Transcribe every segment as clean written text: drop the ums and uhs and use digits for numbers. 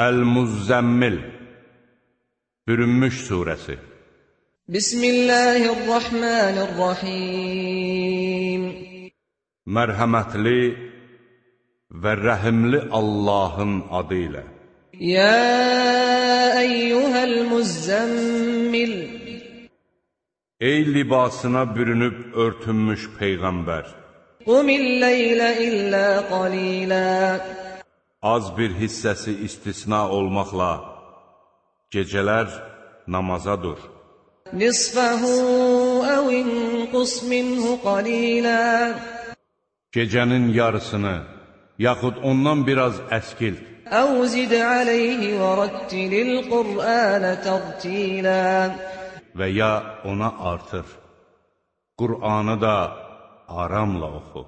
Əl-Muzzəmmil Bürünmüş surəsi. Bismillahirrahmanirrahim. Mərhəmətli və rəhimli Allahın adı ilə. Ya eyyuhəl muzzəmmil. Ey libasına bürünüb örtünmüş Peyğəmbər. Qumil leylə illə qalilə. Az bir hissəsi istisna olmaqla gecələr namaza dur. Nisfəhu əv inqus minhu qalilə. Gecənin yarısını, yaxud ondan biraz əskilt. Əv zid aleyhi və rattilil Qur'anə tərtilə. Və ya ona artır. Qur'anı da aramla oxu.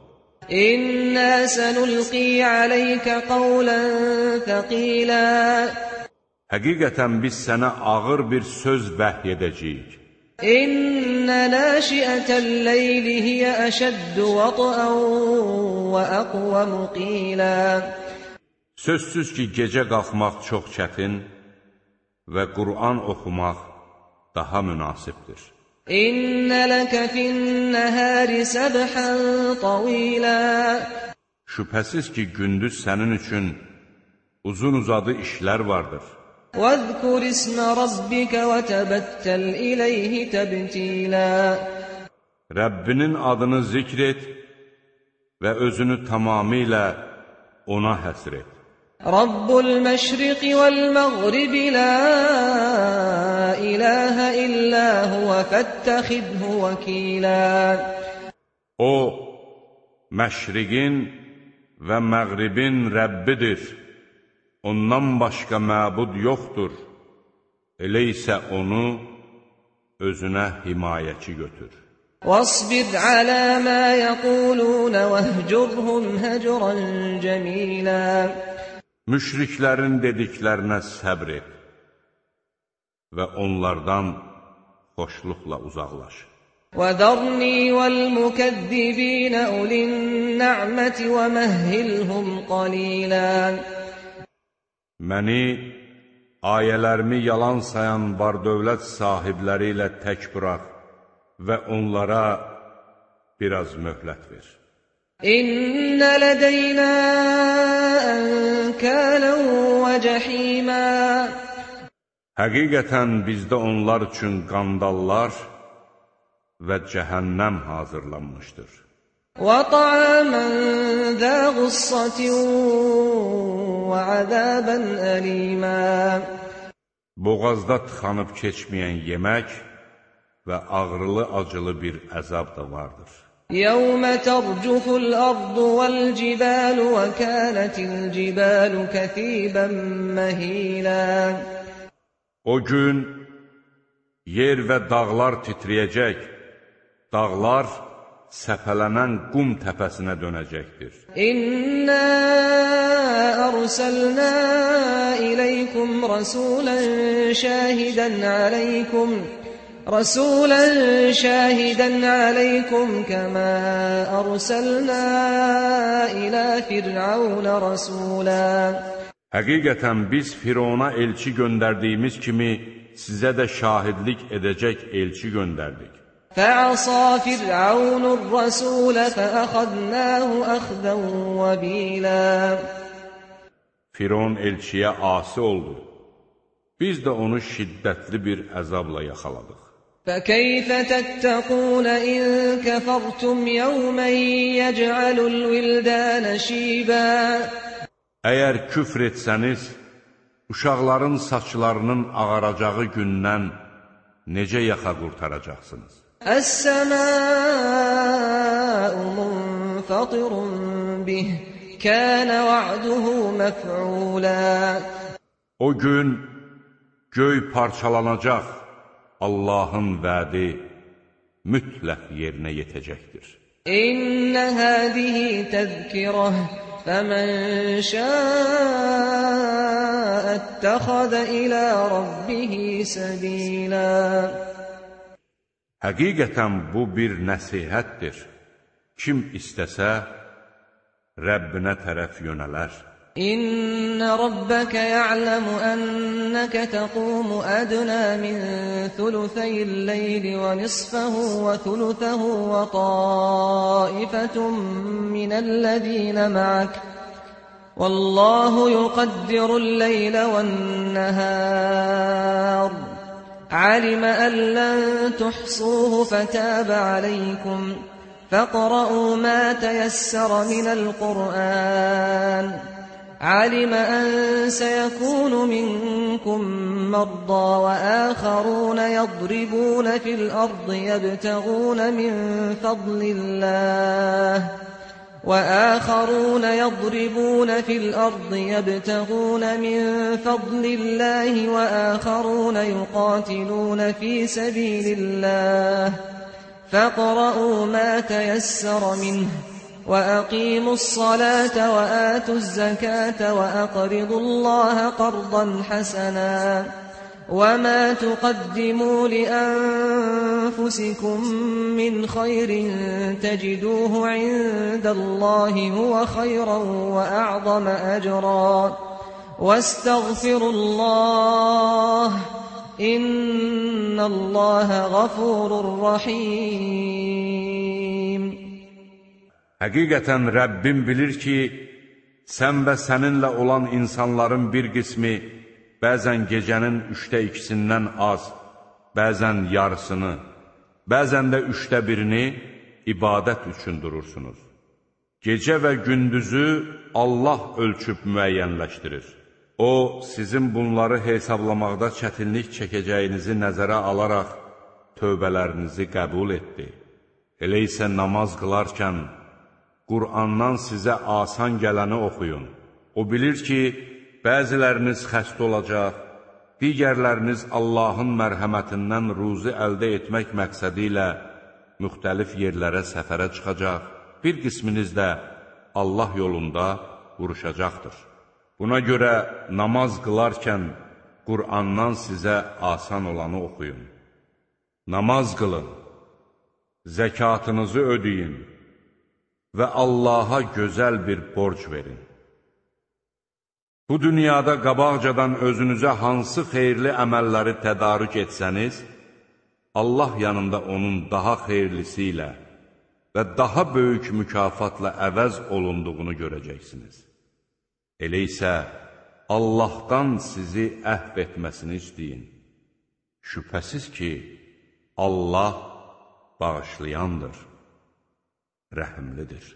İnnə sənulqi aleykə qavlən thəqilə. Həqiqətən biz sənə ağır bir söz vəhy edəcəyik. İnnə nəşiətəl leyli hiyə əşəddu vətən və əqvəmu qilə. Sözsüz ki, gecə qalxmaq çox çətin və Qur'an oxumaq daha münasibdir. İnnə ləkə finnəhəri səbhən tavilə. Şübhəsiz ki, gündüz sənin üçün uzun-uzadı işlər vardır. وَاذْكُرِ اسْمَ رَبِّكَ وَتَبَتَّلْ إِلَيْهِ تَبْتِيلًا. Rəbbinin adını zikr et və özünü tamamilə ona həsr et. Rabbul məşriqi vəl-məğribi la ilahə illə huvə fəttəxidhu vəkilə. O, məşriqin və məğribin Rəbbidir. Ondan başqa məbud yoxdur. Elə isə onu özünə himayəçi götür. وَاصْبِرْ عَلَى مَا يَقُولُونَ وَاهْجُرْهُمْ هَجْرًا جَمِيلًا. Müşriklərin dediklərinə səbr et və onlardan xoşluqla uzaqlaş. وَذَرْنِي وَالْمُكَذِّبِينَ أُولِي النَّعْمَةِ وَمَهِّلْهُمْ قَلِيلًا. Məni, ayələrimi yalan sayan var-dövlət sahibləri ilə tək burax və onlara biraz möhlət ver. İnnə lədəynə ənkələn və cəhimə. Həqiqətən bizdə onlar üçün qandallar və cəhənnəm hazırlanmışdır. وَطَعَامًا ذَا غُصَّةٍ وَعَذَابًا أَلِيمًا. Boğazda tıxanıb keçməyən yemək və ağrılı-acılı bir əzab da vardır. يَوْمَ تَرْجُفُ الْأَرْضُ وَالْجِبَالُ وَكَانَتِ الْجِبَالُ كَثِيبًا مَهِيلًا. O gün yer və dağlar titriyəcək, dağlar səpələnən qum təpəsinə dönəcəkdir. İnna arsalna ileykum rasulan şahidan aleykum kama arsalna ila fir'aun rasula. Həqiqətən biz Firona elçi göndərdiyimiz kimi sizə də şahidlik edəcək elçi göndərdik. فَعَصَى فِرْعَوْنُ الرَّسُولَ فَأَخَذْنَاهُ أَخْذًا وَبِيلًا. Firon elçiyə asi oldu. Biz də onu şiddətli bir əzabla yaxaladıq. فَكَيْفَ تَتَّقُونَ إِن كَفَرْتُمْ يَوْمًا يَجْعَلُ الْوِلْدَانَ شِيبًا. Əgər küfr etsəniz, uşaqların saçlarının ağaracağı gündən necə yaxa qurtaracaqsınız? السماء منفطر به كان وعده مفعولا. O gün göy parçalanacaq, Allahın vədi mütləq yerinə yetəcəkdir. İnnə həzihi təzkirəh fəmən şəə ətəxədə ilə rabbihi səbilə. Həqiqətən bu bir nəsihətdir. Kim istəsə, Rəbbinə tərəf yönələr. إن ربك يعلم أنك تقوم أدنى من ثلثي الليل ونصفه وثلثه وطائفة من الذين معك والله يقدر الليل والنهار علم أن لن تحصوه فتاب عليكم فاقرؤوا ما تيسر من القرآن علم أن سيكون منكم مرضى وآخرون يضربون في الأرض يبتغون من فضل الله وآخرون يقاتلون في سبيل الله فاقرؤوا ما تيسر منه وأقيموا الصلاة وآتوا الزكاة وأقرضوا الله قرضا حسنا وما تقدموا لأنفسكم من خير تجدوه عند الله هو خيرا وأعظم أجرا واستغفروا الله إن الله غفور رحيم. Həqiqətən Rəbbim bilir ki, sən və səninlə olan insanların bir qismi bəzən gecənin 2/3-dən az, bəzən yarısını, bəzən də 1/3-ni ibadət üçün durursunuz. Gecə və gündüzü Allah ölçüb müəyyənləşdirir. O, sizin bunları hesablamaqda çətinlik çəkəcəyinizi nəzərə alaraq tövbələrinizi qəbul etdi. Elə isə namaz qılarkən Qur'andan sizə asan gələni oxuyun. O bilir ki, bəziləriniz xəstə olacaq, digərləriniz Allahın mərhəmətindən ruzi əldə etmək məqsədi ilə müxtəlif yerlərə səfərə çıxacaq, bir qisminiz də Allah yolunda vuruşacaqdır. Buna görə namaz qılarkən Qur'andan sizə asan olanı oxuyun. Namaz qılın, zəkatınızı ödeyin və Allaha gözəl bir borc verin. Bu dünyada qabaqcadan özünüzə hansı xeyirli əməlləri tədarük etsəniz, Allah yanında onun daha xeyirlisi ilə və daha böyük mükafatla əvəz olunduğunu görəcəksiniz. Elə isə Allahdan sizi əhv etməsini istəyin. Şübhəsiz ki, Allah bağışlayandır, rəhimlidir.